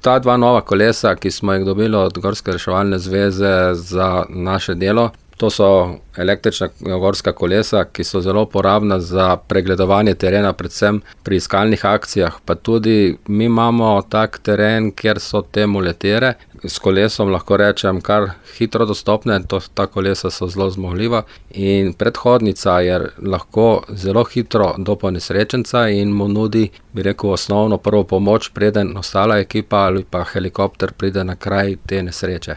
Ta dva nova kolesa, ki smo jih dobili od Gorske reševalne zveze za naše delo, to so električna gorska kolesa, ki so zelo uporabna za pregledovanje terena, predvsem pri iskalnih akcijah. Pa tudi mi imamo tak teren, kjer so te muletere. S kolesom lahko rečem kar hitro dostopne, ta kolesa so zelo zmogljiva in predhodnica je lahko zelo hitro do ponesrečenca in mu nudi, bi rekel, osnovno prvo pomoč, preden ostala ekipa ali pa helikopter pride na kraj te nesreče.